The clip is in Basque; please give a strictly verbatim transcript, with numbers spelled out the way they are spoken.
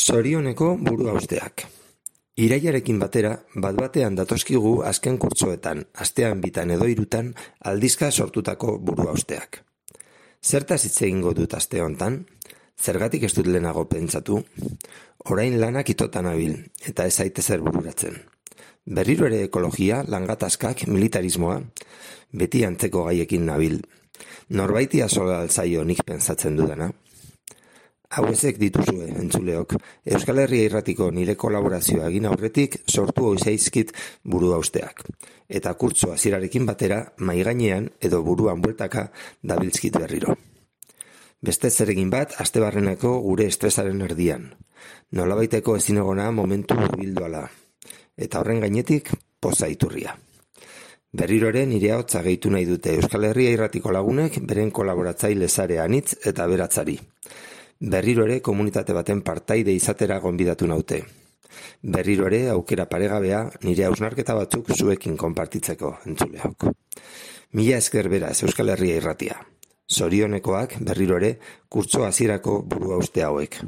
Zorioneko buruhausteak. Irailarekin batera, bat-batean datozkigu azken kurtsoetan, astean bitan edo hirutan, aldizka sortutako buruhausteak. Zertaz hitz egingo dut aste hontan? Zergatik ez dut lehenago pentsatu? Orain lanak itotan nabil, eta ez zaite zer bururatzen. Berriro ere ekologia, langatazkak, militarismoa, beti antzeko gaiekin nabil. Norbaiti azola alzaio nik pentsatzen dudana. Hau ezek dituzue, entzuleok, Euskal Herria Irratiko nire kolaborazioa egin aurretik sortu oizaizkit buruhausteak. Eta kurtso hasierarekin batera, maigainean edo buruan bueltaka dabiltzkit berriro. Beste zeregin bat, astebarreneko gure estresaren erdian. Nolabaiteko ezinegona momentu hurbilduala. Eta horren gainetik, poza iturria. Berriro ere nire ahotsa gehitu nahi dute Euskal Herria Irratiko lagunek beren kolaboratzaile sare anitz eta beratzari. Berriro ere komunitate baten partaide izatera gonbidatu naute. Berriro ere aukera paregabea nire hausnarketa batzuk zuekin konpartitzeko, entzuleok. Mila esker beraz Euskal Herria Irratia. Zorionekoak berriro ere kurtso hasierako buruhauste hauek.